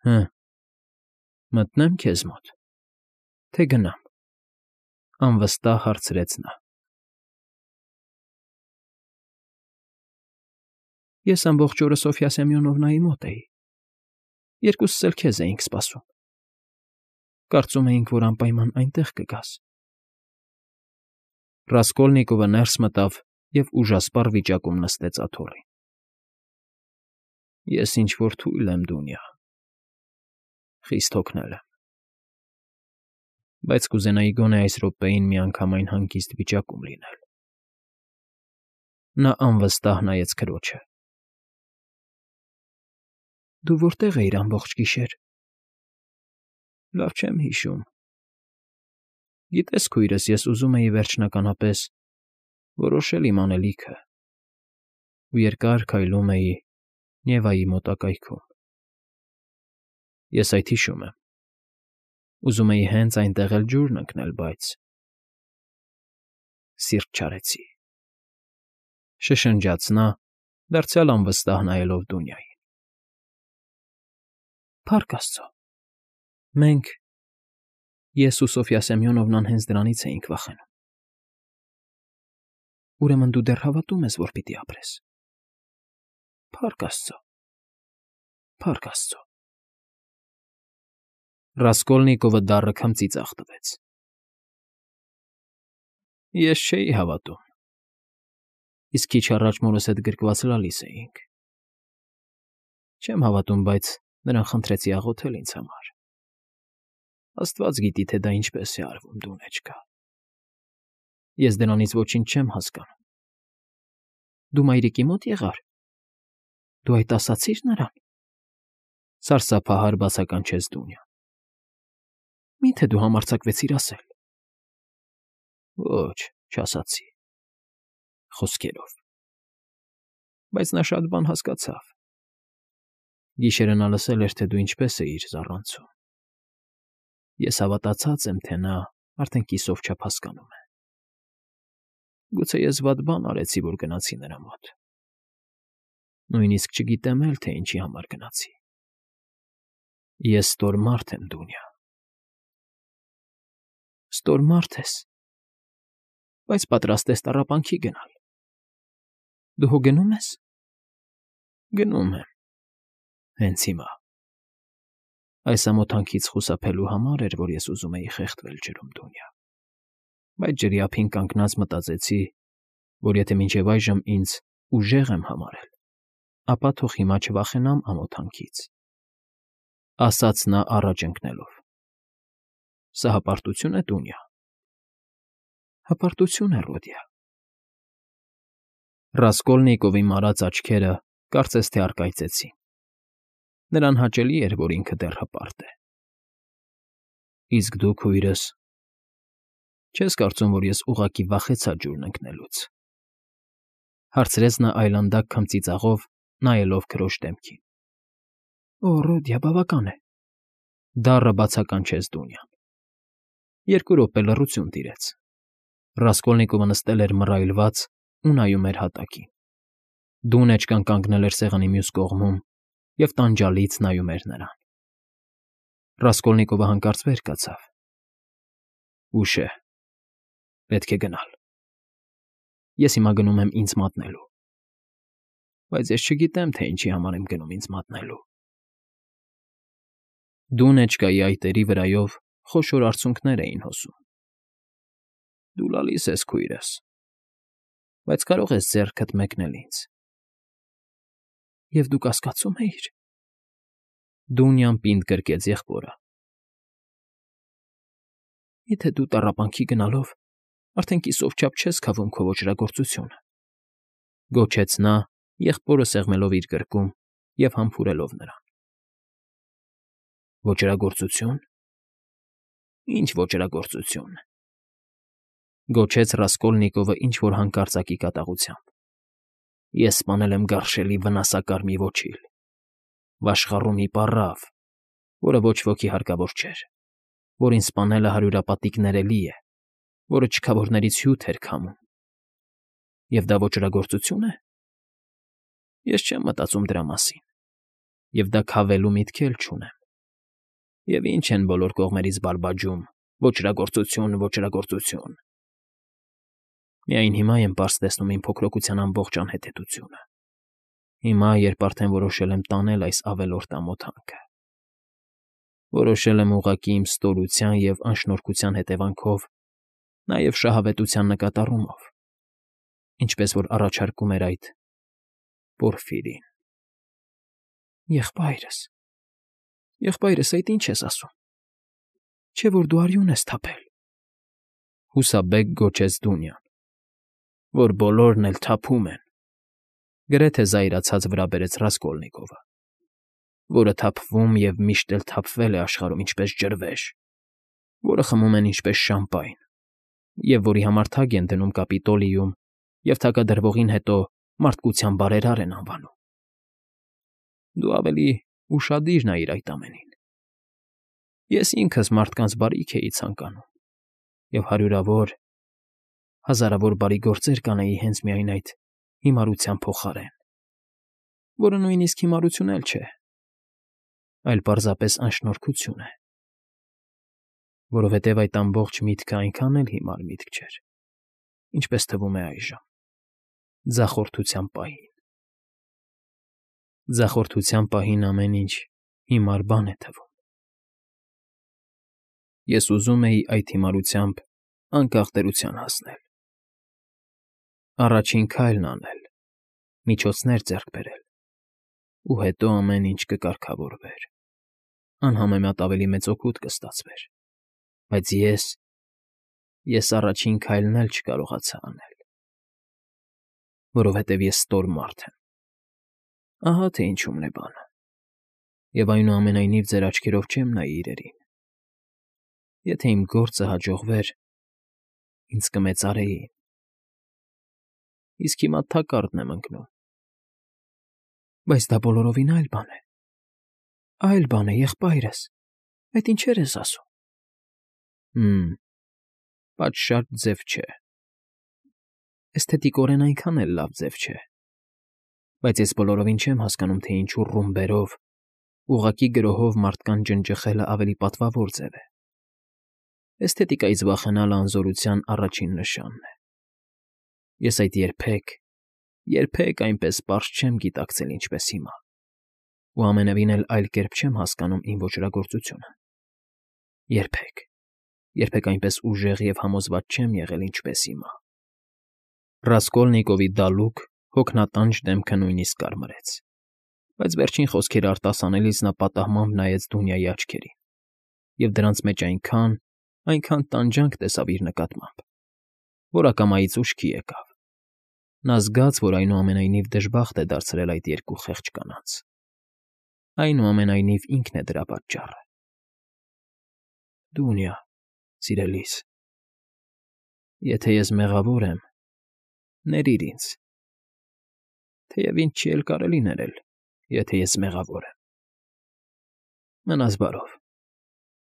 Հը, մտնեմ քեզ մոտ, թե գնամ,֊ անվստահ հարցրեց նա։ Ես ամբողջ օրը Սոֆյա Սեմյոնովնայի մոտ էի։ Երկուսս էլ քեզ էինք սպասում։ Կարծում էինք, որ անպայման այնտեղ կգաս։ Ռասկոլնիկովը ներս մտավ և ուժասպառ վիճակում նստեց աթոռին։ Ես ինչ֊որ թույլ եմ, Դունյա, խիստ հոգնել եմ, բայց կուզենայի գոնե այս րոպեին միանգամայն հանգիստ վիճակում լինել։ Նա անվստահ նայեց քրոջը։ Դու որտե՞ղ էիր ամբողջ գիշեր։ Լավ չեմ հիշում։ Գիտես, քույրս, ես ուզում էի վերջնականապես որոշել իմ անելիքը ու երկար քայլում էի Նևայի մոտակայքում։ Ես այդ հիշում եմ։ Ուզում էի հենց այնտեղ էլ ջուրն ընկնել, բայց… Սիրտ չարեցի,֊ շշնջաց նա, դարձյալ անվստահ նայելով Դունյային։ Փառք Աստծո, մենք… Ես ու Սոֆյա Սեմյոնովնան հենց դրանից էինք վախենում։ Ուրեմն դու դեռ հավատում ես, որ պիտի ապրես։ Փառք Աստծո, փառք Աստծո… Ռասկոլնիկովը դառը քմծի ծաղտվեց։ Ես չէի հավատում։ Իսկ քիչ առաջ մորս հետ գրկված լալիս էինք։ Չեմ հավատում, բայց նրան խնդրեցի աղոթել ինձ համար։ Աստված գիտի, թե դա ինչպես է արվում, Դունեչկա։ Ես դրանից ոչինչ չեմ հասկանում։ Դու մայրիկի մոտ եղա՞ր։ Դու այդ ասացի՞ր նրան։ Սարսափահար բացականչեց Դունյան։ Մի՞թե դու համարձակվեցիր ասել։ Ոչ, չասացի։ Խոսքերով։ Բայց նա շատ բան հասկացավ։ Գիշերը նա լսել էր, թե դու ինչպես էիր զառանցում։ Ես հավատացած եմ, թե նա արդեն կիսով չափ հասկանում է։ Գուցե ես վատ բան արեցի, որ գնացի նրա մոտ։ Նույնիսկ չգիտեմ էլ, թե ինչի համար գնացի։ Ես ստոր մարդ եմ, Դունյա։ Ստոր մարդ ես, բայց պատրաստ ես տառապանքի գնալ։ Դու հո գնում ես։ Գնում եմ։ Հենց հիմա։ Այս ամոթանքից խուսափելու համար էր, որ ես ուզում էի խեղդվել ջրում, Դունյա։ Բայց ջրի ափին կանգնած մտածեցի, որ եթե մինչև այժմ ինձ ուժեղ եմ համարել, ապա թող հիմա չվախենամ ամոթանքից,֊ ասաց նա առաջ ընկնելով։ Սա հպարտություն է, Դունյա։ Հպարտություն է, Ռոդիա։ Ռասկոլնիկովի մարած աչքերը կարծես թե առկայծեցին։ Նրան հաճելի էր, որ ինքը դեռ հպարտ է։ Իսկ դու, քույրս… Չես կարծում, որ ես ուղղակի վախեցա ջուրն ընկնելուց,֊ հարցրեց նա այլանդակ քմծիծաղով, նայելով քրոջ դեմքին։ Օ, Ռոդիա, բավական է,֊ դառը բացականչեց Դունյան։ 2 րոպե լռություն տիրեց։ Ռասկոլնիկովը նստել էր մռայլված ու նայում էր հատակին։ Դունեչկան կանգնել էր սեղանի մյուս կողմում և տանջալից նայում էր նրան։ Ռասկոլնիկովը հանկարծ վեր կացավ։ Ուշ է, պետք է գնալ։ Ես հիմա գնում եմ ինձ մատնելու։ Բայց ես չգիտեմ, թե ինչի համար եմ գնում ինձ մատնելու։ Դունեչկայի այտերի վրայով խոշոր արցունքներ էին հոսում։ Դու լալիս ես, քույրս, բայց կարող ես ձեռքդ մեկնել ինձ։ Եվ դու կասկածո՞ւմ էիր։ Դունյան պինդ գրկեց եղբորը։ Եթե դու տառապանքի գնալով արդեն կիսով չափ չես քավում քո ոճրագործությունը,֊ գոչեց նա, եղբորը սեղմելով իր գրկում և համբուրելով նրան։ Ոճրագործությո՞ւն։ Ինչ ոճրագործություն,֊ գոչեց Ռասկոլնիկովը ինչ֊որ հանկարծակի կատաղությամբ։ Ես սպանել եմ գարշելի վնասակար մի ոչիլ, վաշխառու մի պառավ, որը ոչ ոքի հարկավոր չէր, որին սպանելը հարյուրապատիկ ներելի է, որը չքավորներից հյութ էր քամում։ Եվ դա ոճրագործությո՞ւն է։ Ես չեմ մտածում դրա մասին, և դա քավելու միտք էլ չունեմ։ Եվ ինչ են բոլոր կողմերից բալբաջում. ոճրագործություն, ոճրագործություն… Միայն հիմա եմ պարզ տեսնում իմ փոքրության ամբողջ անհետեթությունը։ Հիմա, երբ արդեն որոշել եմ տանել այս ավելորդ ամոթանքը, որոշել եմ ուղղակի իմ ստորության և անշնորհքության հետևանքով, նաև շահավետության նկատառումով, ինչպես որ առաջարկում էր այդ Պորֆիրին։ Եղբայրս, այդ ինչ ես ասում։ Չէ՞ որ դու արյուն ես թափել։ Հուսաբեկ գոչեց Դունյան, որ բոլորն էլ թափում են, գրեթե զայրացած վրա բերեց Ռասկոլնիկովը, որը թափվում և միշտ էլ թափվել է աշխարհում ինչպես ջրվեժ, որը խմում են ինչպես շամպայն, և որի համար թագ են դնում Կապիտոլիում և թագադրվողին հետո մարդկության բարերար են անվանում։ Դու ավելի ուշադիր նայիր այդ ամենին։ Ես ինքս մարդկանց բարիք էի ցանկանում և հազարավոր բարի գործեր կանեի հենց միայն այդ հիմարության փոխարեն, որը նույնիսկ հիմարություն էլ չէ, այլ պարզապես անշնորհքություն է, որովհետև այդ ամբողջ միտքը այնքան էլ հիմար միտք չէր, ինչպես թվում է այժմ, ձախորդության պահին։ Ձախորդության պահին ամեն ինչ հիմար բան է թվում։ Ես ուզում էի այդ հիմարությամբ անկախ տերության հասնել, առաջին քայլն անել, միջոցներ ձեռք բերել, ու հետո ամեն ինչ կկարգավորվեր, անհամեմատ ավելի մեծ օգուտ կստացվեր, բայց ես առաջին քայլն էլ չկարողացա անել, որովհետև ես ստոր մարդ եմ։ Ահա թե ինչումն է բանը, և այնուամենայնիվ ձեր աչքերով չեմ նայի իրերին։ Եթե իմ գործը հաջողվեր, ինձ կմեծարեին, իսկ հիմա թակարդն եմ ընկնում։ Բայց դա բոլորովին այլ բան է։ Այլ բան է, եղբայրս, այդ ինչեր ես ասում։ Պատշաճ ձև չէ։ Էսթետիկորեն այնքան էլ լավ ձև չէ։ Բայց ես բոլորովին չեմ հասկանում, թե ինչու ռումբերով, ուղղակի գրոհով մարդկան ջնջխելը ավելի պատվավոր ձև է։ Էսթետիկայից վախենալը անզորության առաջին նշանն է։ Ես այդ երբեք այնպես պարզ չեմ գիտակցել, ինչպես հիմա, ու ամենևին էլ այլ կերպ չեմ հասկանում իմ ոճրագործությունը։ Երբեք այնպես ուժեղ և համոզված չեմ եղել, ինչպես հիմա։ Ռասկոլնիկովի դալուկ, հոգնատանջ դեմքը նույնիսկ կարմրեց, բայց վերջին խոսքերը արտասանելիս նա պատահմամբ նայեց Դունյայի աչքերին, և դրանց մեջ այնքան տանջանք տեսավ իր նկատմամբ, որ ակամայից ուշքի եկավ։ Նա զգաց, որ այնուամենայնիվ դժբախտ է դարձրել այդ երկու խեղճ կանանց։ Այնուամենայնիվ ինքն է դրա պատճառը։ Դունյա, սիրելիս, եթե ես մեղավոր եմ, ներիր ինձ, թեև ինձ չի էլ կարելի ներել, եթե ես մեղավոր եմ։ Մնաս բարով,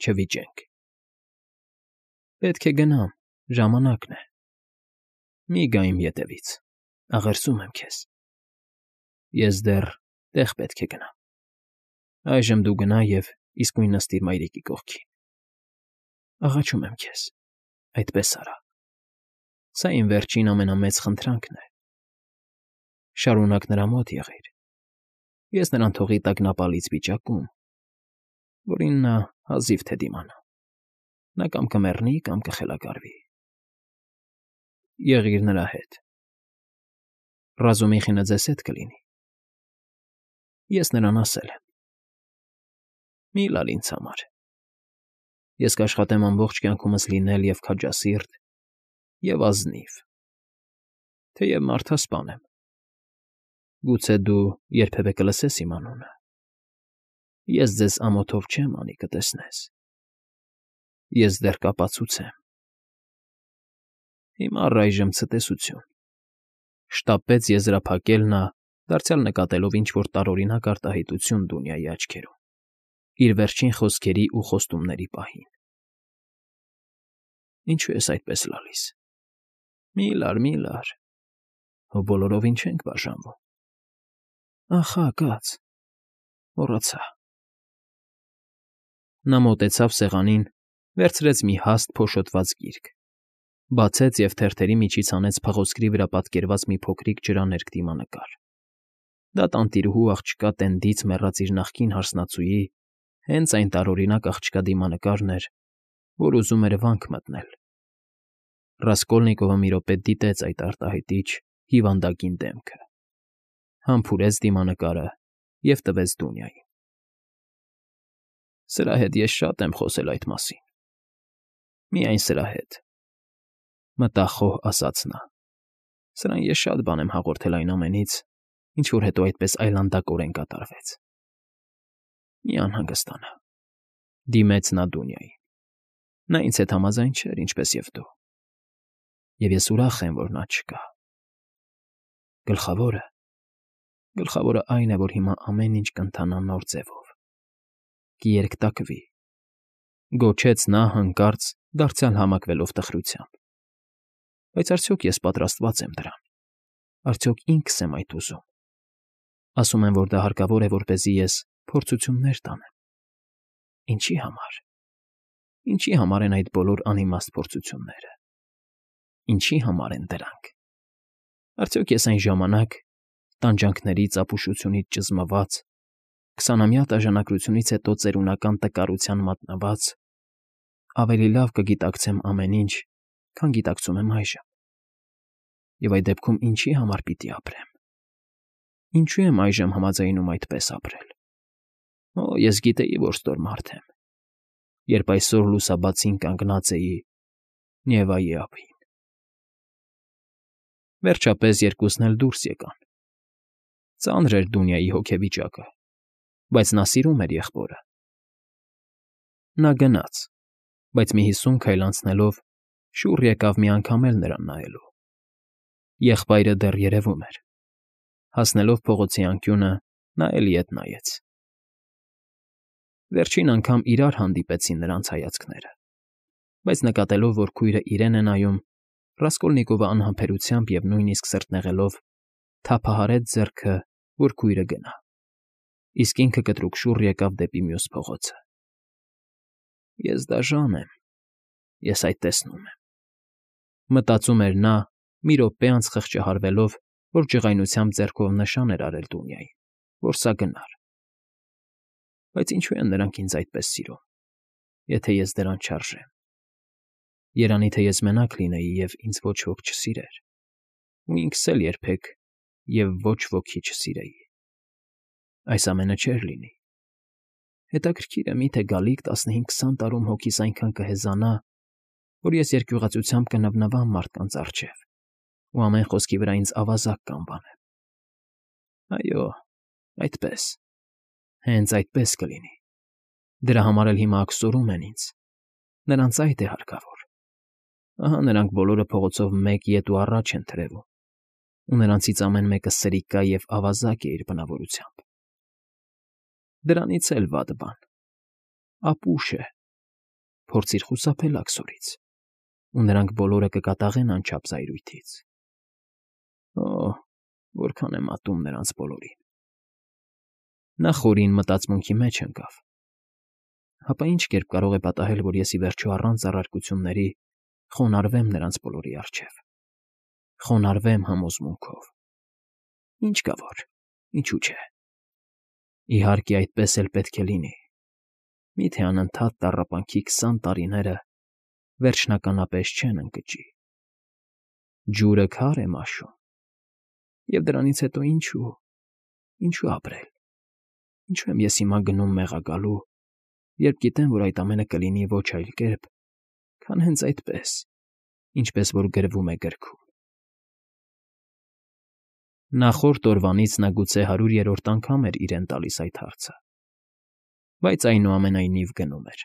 չվիճենք։ Պետք է գնամ, ժամանակն է։ Մի գա իմ ետևից, աղերսում եմ քեզ։ Ես դեռ տեղ պետք է գնամ։ Այժմ դու գնա և իսկույն նստիր մայրիկի կողքին։ Աղաչում եմ քեզ, այդպես արա։ Սա իմ վերջին ամենամեծ խնդրանքն է։ Շարունակ նրա մոտ եղիր։ Ես նրան թողի տագնապալից վիճակում, որին նա հազիվ թե դիմանա։ Նա կամ կմեռնի, կամ կխելագարվի։ Եղիր նրա հետ։ Ռազումիխինը ձեզ հետ կլինի։ Ես նրան ասել եմ։ Մի՛ լալ ինձ համար։ Ես կաշխատեմ ամբողջ կյանքումս լինել և քաջասիրտ, և ազնիվ, թեև մարդասպան եմ։ Գուցե դու երբևէ կլսես իմ անունը։ Ես ձեզ ամոթով չեմ անի, կտեսնես։ Ես դեռ կապացուցեմ։ Հիմա առայժմ ցտեսություն։ Շտապեց եզրափակել նա, դարձյալ նկատելով ինչ֊որ տարօրինակ արտահայտություն Դունյայի աչքերում, իր վերջին խոսքերի ու խոստումների պահին։ Ինչո՞ւ ես այդպես լալիս։ Մի՛ լար, հո բոլորովին չենք բաժանվում։ Ահա, կաց, մոռացա։ Նա մոտեցավ սեղանին, վերցրեց մի հաստ փոշոտված գիրք, բացեց և թերթերի միջից հանեց փղոսկրի վրա պատկերված մի փոքրիկ ջրաներկ դիմանկար։ Դա տանտիրուհու աղջկա Տենդից մեռած իր նախկին հարսնացուի հենց այն տարօրինակ աղջկա դիմանկարն էր, որ ուզում էր վանք մտնել։ Ռասկոլնիկովը մի րոպե դիտեց այդ արտահայտիչ, հիվանդագին դեմքը, համբուրեց դիմանկարը և տվեց Դունյային։ Սրա հետ ես շատ եմ խոսել այդ մասին։ Միայն սրա հետ, մտախոհ ասաց նա։ Սրան ես շատ բան եմ հաղորդել այն ամենից, ինչ որ հետո այդպես այլանդակորեն կատարվեց։ Մի անհանգստանա, դիմեց նա Դունյային։ Նա ինձ հետ համաձայն չէր, ինչպես և դու։ Եվ ես ուրախ եմ, որ նա չկա։ Գլխավորը այն է, որ հիմա ամեն ինչ կընթանա նոր ձևով։ Կերկտակվի, գոչեց նա հանկարծ, դարձյալ համակվելով տխրությամբ։ Բայց արդյոք ես պատրաստված եմ դրան։ Արդյոք ինքս եմ այդ ուզում։ Ասում են, որ դա հարկավոր է, որպեսզի ես փորձություններ տանեմ։ Ինչի համար։ Ինչի համար են այդ բոլոր անիմաստ փորձությունները։ Ինչի համար են դրանք։ Արդյոք ես այն ժամանակ, տանջանքներից, ապուշությունից ճզմված, 20-ամյա տաժանակությունից հետո ծերունական տկարության մատնված, ավելի լավ կգիտակցեմ ամեն ինչ, քան գիտակցում եմ այժմ։ Եվ այդ դեպքում ինչի համար պիտի ապրեմ։ Ինչու եմ այժմ համաձայնում այդպես ապրել։ Ես գիտեի, որ ստոր մարդ եմ, երբ այսօր լուսաբացին կանգնած էի Նևայի ափին։ Վերջապես երկուսն էլ դուրս եկան։ Ծանր էր Դունյայի հոգեվիճակը, բայց նա սիրում էր եղբորը։ Նա գնաց, բայց մի 50 քայլ անցնելով շուռ եկավ մի անգամ էլ նրան նայելու։ Եղբայրը դեռ երևում էր։ Հասնելով փողոցի անկյունը, նա էլի ետ նայեց։ Վերջին անգամ իրար հանդիպեցին նրանց հայացքները, բայց նկատելով, որ քույրը իրեն է նայում, Ռասկոլնիկովը անհամբերությամբ և նույնիսկ սրտնեղելով թափահարեց ձեռքը, որ քույրը գնա, իսկ ինքը կտրուկ շուռ եկավ դեպի մյուս փողոցը։ Ես դաժան եմ, ես այդ տեսնում եմ, մտածում էր նա, մի րոպե անց խղճահարվելով, որ ջղայնությամբ ձեռքով նշան էր արել Դունյային, որ սա գնար։ Բայց ինչու են նրանք ինձ այդպես սիրում, եթե ես դրան չարժեմ։ Երանի թե ես մենակ լինեի և ինձ ոչ ոք չսիրեր, ու ինքս էլ երբեք և ոչ ոքի չսիրեի։ Այս ամենը չէր լինի։ Հետաքրքիր է, միթե գալիք 15-20 տարում հոգիս այնքան կհեզանա, որ ես երկյուղածությամբ կնվնվամ մարդկանց առջև ու ամեն խոսքի վրա ինձ ավազակ կանվանեն։ Այո, այդպես, հենց այդպես կլինի։ Դրա համար էլ հիմա աքսորում են ինձ։ Նրանց այդ է հարկավոր։ Ահա նրանք բոլորը փողոցով մեկ ետ ու առաջ են թրևում, ու նրանցից ամեն մեկը սրիկա և ավազակ է իր բնավորությամբ։ Դրանից էլ վատ բան։ Ապուշ է։ Փորձիր խուսափել աքսորից, ու նրանք բոլորը կկատաղեն անչափ զայրույթից։ Որքան եմ ատում նրանց բոլորին։ Նա խորին մտածմունքի մեջ ընկավ։ Հապա ինչ կերպ կարող է պատահել, որ ես ի վերջո առանց առարկությունների խոնարհվեմ նրանց բոլորի առջև։ Խոնարհվեմ համոզմունքով։ Ինչ կա որ, ինչու՞ չէ։ Իհարկե, այդպես էլ պետք է լինի։ Միթե անընդհատ տառապանքի 20 տարիները վերջնականապես չեն ընկճի։ Ջուրը քար է մաշում։ Եվ դրանից հետո ինչու ապրել։ Ինչու եմ ես հիմա գնում մեղագալու, երբ գիտեմ, որ այդ ամենը կլինի ոչ այլ կերպ, քան հենց այդպես, ինչպես որ գրվում է գրքում։ Նախորդ օրվանից նա գուցե 100-րդ անգամ էր իրեն տալիս այդ հարցը, բայց այնուամենայնիվ գնում էր։